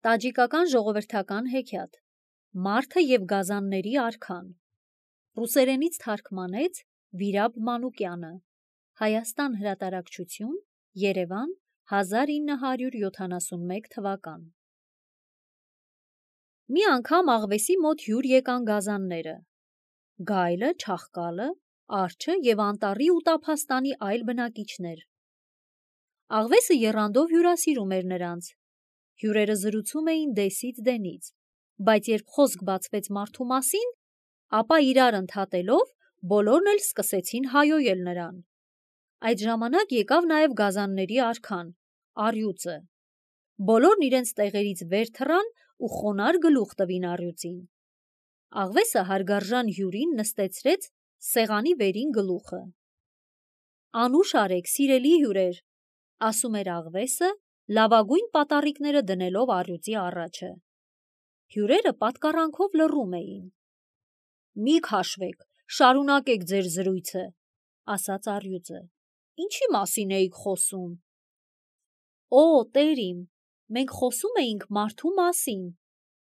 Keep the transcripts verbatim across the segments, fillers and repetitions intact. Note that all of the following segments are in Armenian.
Տաջիկական ժողովրդական հեքիաթ Մարդը և գազանների արքան Ռուսերենից թարգմանեց Վիրաբ Մանուկյանը Հայաստան հրատարակչություն Երևան հազար ինը հարյուր յոթանասունմեկ թվական Մի անգամ աղվեսի մոտ հյուր եկան գազանները Գայլը, չաղկալը, արջը և անտառի ու տափաստանի այլ բնակիչներ Աղվեսը եռանդով հյուրասիրում էր նրանց Հյուրերը զրուցում էին դեսից դենից, բայց երբ խոսք բացվեց մարդու մասին, ապա իրար ընդհատելով բոլորն էլ սկսեցին հայոյել նրան։ Այդ ժամանակ եկավ նաև գազանների արքան, առյուծը։ Բոլորն իրենց տեղերից վեր թռան ու խոնարհ գլուխ տվին առյուծին։ Աղվեսը հարգարժան հյուրին նստեցրեց սեղանի վերին գլուխը։ Անուշ արեք, սիրելի հյուրեր, ասում էր աղվեսը, լավագույն պատառիկները դնելով առյուծի առաջը։ Հյուրերը պատկառանքով լռում էին։ Մի քաշվեք, շարունակեք ձեր զրույցը, ասաց առյուծը։ Ինչի մասին էիք խոսում։ Օ, տեր իմ, մենք խոսում էինք մարդու մասին,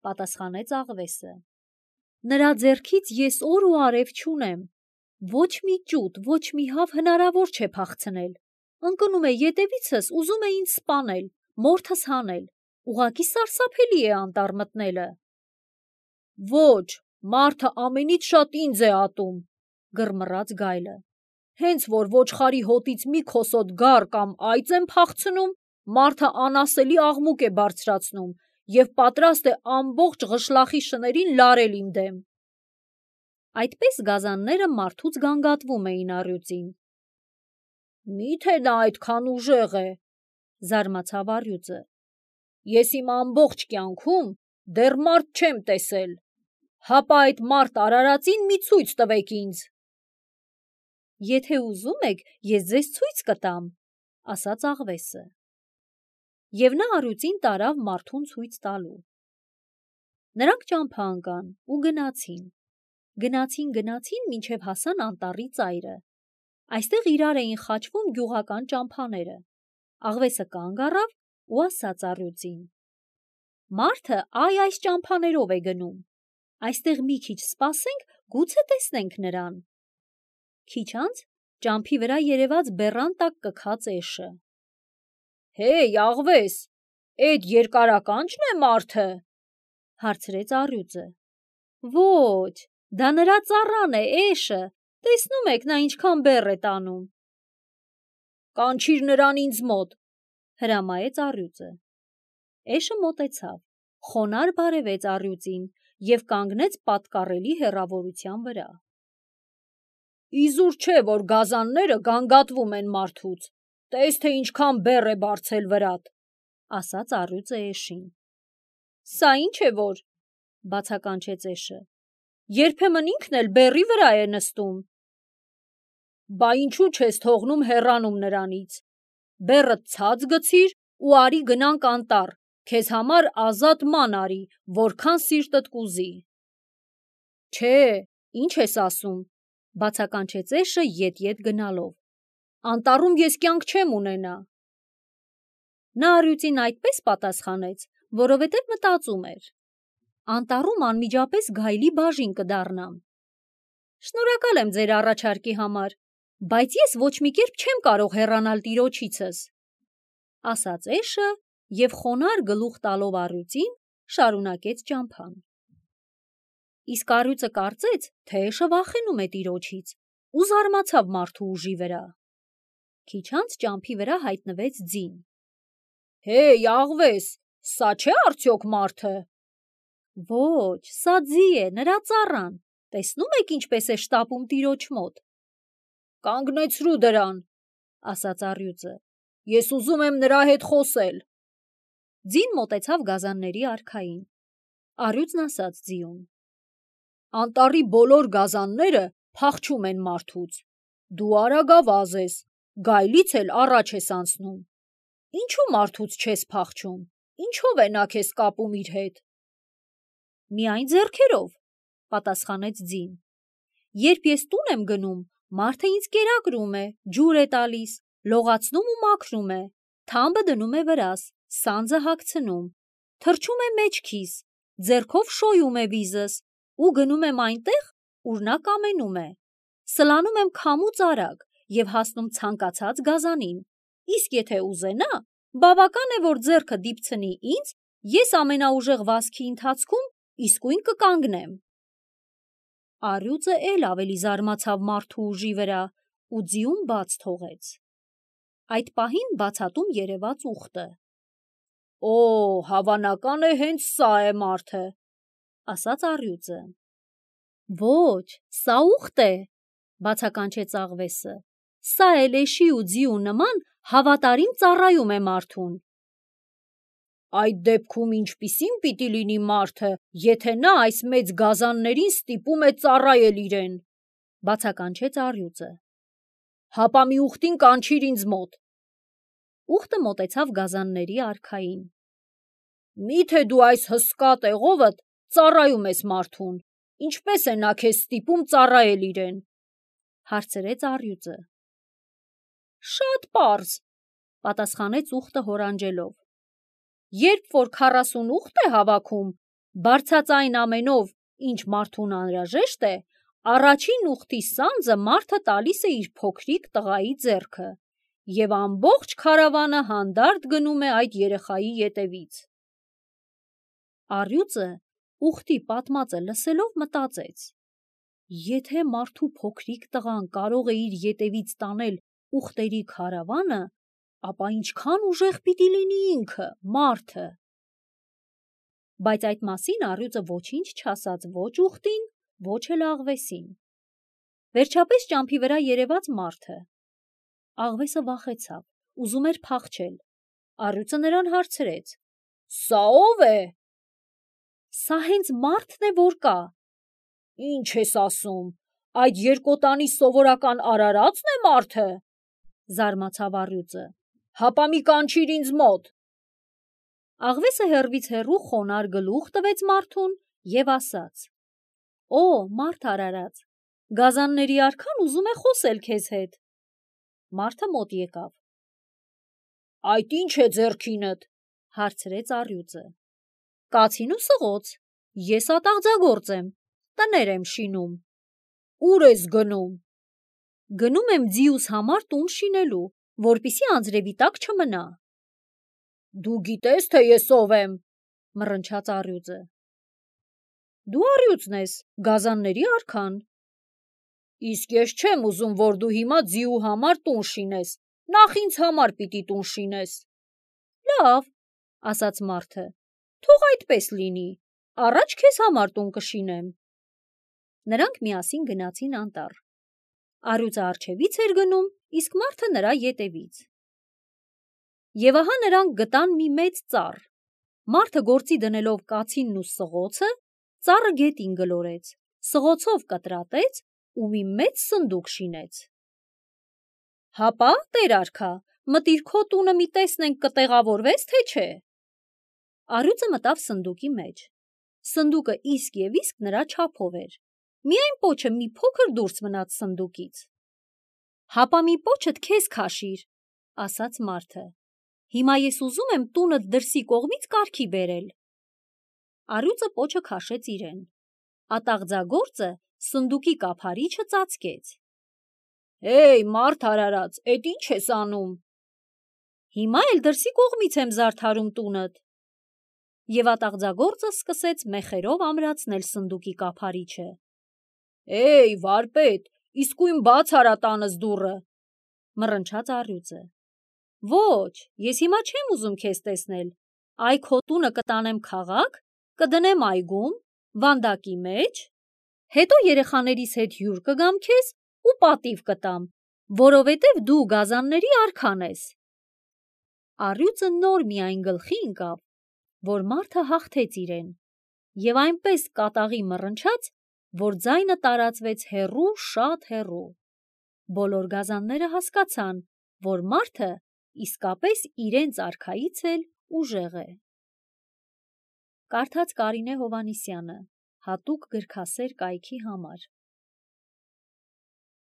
պատասխանեց աղվեսը։ Նրա ձեռքից ես օր ու արև չունեմ։ Ոչ մի ճուտ, ոչ մի հավ հնարավոր չէ փախցնել։ Ընկնում է ետևիցս, ուզում է ինձ սպանել, մորթս հանել, ուղղակի սարսափելի է անտառ մտնելը։ Ոչ, մարդը ամենից շատ ինձ է ատում, գռմռաց գայլը։ Հենց որ ոչխարի հոտից մի քոսոտ գառ կամ այծ եմ փախցնում, մարդը անասելի աղմուկ է բարձրացնում և պատրաստ է ամբողջ ղշլախի շներին լարել իմ դեմ։ Այդպես գազանները մարդուց գանգատվում էին առյուծին։ Մի՞թե նա այդքան ուժեղ է, զարմացավ առյուծը։ Ես իմ ամբողջ կյանքում դեռ մարդ չեմ տեսել, հապա այդ մարդ արարածին մի ցույց տվեք ինձ։ Եթե ուզում եք, ես ձեզ ցույց կտամ, ասաց աղվեսը։ Եվ նա առյուծին տարավ մարդուն ցույց տալու։ Նրանք ճամփա ընկան ու գնացին։ Գնացին, գնացին, մինչև հասան անտառի ծայրը։ Այստեղ իրար էին խաչվում գյուղական ճամփաները։ Աղվեսը կանգ առավ ու ասաց առյուծին. Մարդը այ այս ճամփաներով է գնում։ Այստեղ մի քիչ սպասենք, գուցե տեսնենք նրան։ Քիչ անց ճամփի վրա երևաց բեռան տակ կքած էշը։ Հեյ, աղվես, էդ երկարականչն է մարդը, հարցրեց առյուծը։ Ոչ, դա նրա ծառան է, էշը, տեսնում եք նա ինչքան բեռ է տանում։ Կանչիր նրան ինձ մոտ, հրամայեց առյուծը։ Էշը մոտեցավ, խոնարհ բարևեց առյուծին և կանգնեց պատկառելի հեռավորության վրա։ Իզուր չէ, որ գազանները գանգատվում են մարդուց, տես թե ինչքան բեռ է բարձել վրատ, ասաց առյուծը էշին։ Սա ինչ է որ, բացականչեց էշը, երբեմն ինքն էլ բեռի վրա է նստում։ Բա ինչու չես թողնում հեռանում նրանից, բեռդ ցած գցիր ու արի գնանք անտառ, քեզ համար ազատ ման արի, որքան սիրտդ կուզի։ Չէ, ինչ ես ասում, բացականչեց էշը ետ-ետ գնալով, անտառում ես կյանք չեմ ունենա։ Նա առյուծին այդպես պատասխանեց, որովհետև մտածում էր. Անտառում անմիջապես գայլի բաժին կդառնամ։ Շնորհակալ եմ ձեր առաջարկի համար, բայց ես ոչ մի կերպ չեմ կարող հեռանալ տիրոջիցս, ասաց էշը և խոնարհ գլուխ տալով առյուծին շարունակեց ճամփան։ Իսկ առյուծը կարծեց, թե էշը վախենում է տիրոջից ու զարմացավ մարդու ուժի վրա։ Քիչ անց ճամփի վրա հայտնվեց ձին։ Հեյ, աղվես, սա չէ՞ արդյոք մարդը։ Ոչ, սա ձի է, նրա ծառան, տեսնում եք ինչպես է շտապում տիրոջ մոտ։ Կանգնեցրու դրան, ասաց առյուծը, ես ուզում եմ նրա հետ խոսել։ Ձին մոտեցավ գազանների արքային։ Առյուծն ասաց ձիուն. Անտառի բոլոր գազանները փախչում են մարդուց։ Դու արագավազ ես, գայլից էլ առաջ ես անցնում։ Ինչու մարդուց չես փախչում, ինչով է նա քեզ կապում իր հետ։ Միայն ձեռքերով, պատասխանեց ձին։ Երբ ես տուն եմ գնում, մարդը ինձ կերակրում է, ջուր է տալիս, լողացնում ու մաքրում է, թամբը դնում է վրաս, սանձը հագցնում, թռչում է մեջքիս, ձեռքով շոյում է վիզս ու գնում եմ այնտեղ, ուր նա կամենում է, սլանում եմ քամուց արագ և հասնում ցանկացած գազանին, իսկ եթե ուզենա, բավական է, որ ձեռքը դիպցնի ինձ, ես ամենաուժեղ վազքի ընթացքում իսկույն կկանգնեմ։ Առյուծը էլ ավելի զարմացավ մարդու ուժի վրա ու ձիուն բաց թողեց։ Այդ պահին բացատում երևաց ուղտը։ Օ, հավանական է հենց սա է մարդը, ասաց առյուծը։ Ոչ, սա ուղտ է, բացականչեց աղվեսը, սա էլ էշի ու ձիու նման հավատարիմ ծառայում է մարդուն։ Այդ դեպքում ինչպիսին պիտի լինի մարդը, եթե նա այս մեծ գազաններին ստիպում է ծառայել իրեն, բացականչեց առյուծը։ Հապա մի ուղտին կանչիր ինձ մոտ։ Ուղտը մոտեցավ գազանների արքային։ Միթե դու այս հսկա տեղովդ ծառայում ես մարդուն, ինչպես է նա քեզ ստիպում ծառայել իրեն, հարցրեց առյուծը։ Շատ պարզ, պատասխանեց ուղտը հորանջելով։ Երբ որ քառասուն ուղտ է հավաքում, բարձրածայն ամենով, ինչ մարդուն անհրաժեշտ է, առաջին ուղտի սանձը մարդը տալիս է իր փոքրիկ տղայի ձեռքը, և ամբողջ քարավանը հանդարտ գնում է այդ երեխայի ետևից։ Առյուծը ուղտի պատմածը լսելով մտածեց. Եթե մարդու փոքրիկ տղան կարող է իր ետևից տանել ուղտերի քարավանը, ապա ինչքան ուժեղ պիտի լինի ինքը, մարդը։ Բայց այդ մասին առյուծը ոչինչ չասաց ոչ ուղտին, ոչ էլ աղվեսին։ Վերջապես ճամփի վրա երևաց մարդը։ Աղվեսը վախեցավ, ուզում էր փախչել։ Առյուծը նրան հարցրեց. Սա ո՞վ է։ Սա հենց մարդն է, որ կա։ Ինչ ես ասում, այդ երկոտանի սովորական արարածն է մարդը, զարմացավ առյուծը։ Հապա մի կանչիր ինձ մոտ։ Աղվեսը հեռվից հեռու խոնարհ գլուխ տվեց մարդուն և ասաց. Օ, մարդ արարած, գազանների արքան ուզում է խոսել քեզ հետ։ Մարդը մոտ եկավ։ Այդ ի՞նչ է ձեռքինդ, հարցրեց առյուծը։ Կացին ու սղոց, ես ատաղձագործ եմ, տներ եմ շինում։ Ուր ես գնում։ Գնում եմ ձիուս համար տուն շինելու, որպեսզի անձրևի տակ չմնա։ Դու գիտես, թե ես ով եմ, մռնչաց առյուծը։ Դու առյուծն ես, գազանների արքան։ Իսկ ես չեմ ուզում, որ դու հիմա ձիու համար տուն շինես, նախ ինձ համար պիտի տուն շինես։ Լավ, ասաց մարդը, թող այդպես լինի, առաջ քեզ համար տուն կշինեմ։ Նրանք միասին գնացին անտառ։ Առյուծը առջևից էր գնում, իսկ մարդը նրա ետևից։ Եվ ահա նրանք գտան մի մեծ ծառ։ Մարդը գործի դնելով կացինն ու սղոցը, ծառը գետին գլորեց, սղոցով կտրատեց ու մի մեծ սնդուկ շինեց։ Հապա, տեր արքա, մտիր քո տունը մի տեսնենք կտեղավորվես, թե չէ։ Առյուծը մտավ սնդուկի մեջ։ Սնդուկը իսկ և իսկ նրա չափով էր։ Միայն պոչը մի փոքր դուրս մնաց սնդուկից։ Հապա մի պոչդ քեզ քաշիր, ասաց մարդը։ Հիմա ես ուզում եմ տունդ դրսի կողմից կարգի բերել։ Առյուծը պոչը քաշեց իրեն։ Ատաղձագործը սնդուկի կափարիչը ծածկեց։ Հեյ, մարդ արարած, էդ ինչ ես անում։ Հիմա էլ դրսի կողմից եմ զարդարում տունդ։ Եվ ատաղձագործը սկսեց մեխերով ամրացնել սնդուկի կափարիչը։ Էй, վարպետ, իսկույն բաց արա տանս դուռը, մռնչաց առյուծը։ Ոչ, ես հիմա չեմ ուզում քեզ տեսնել, այ քո տունը կտանեմ քաղաք, կդնեմ այգում, վանդակի մեջ, հետո երեխաներիս հետ հյուր կգամ քեզ ու պատիվ կտամ, որովհետև դու գազանների արքան ես։ Առյուծը նոր միայն գլխի ընկավ, որ մարդը հաղթեց իրեն, և այնպես կատաղի մռնչաց, որ ձայնը տարածվեց հեռու, շատ հեռու։ Բոլոր գազանները հասկացան, որ մարդը իսկապես իրենց արքայից էլ ուժեղ է։ Կարդաց Կարինե Հովհաննիսյանը, հատուկ գրքասեր կայքի համար։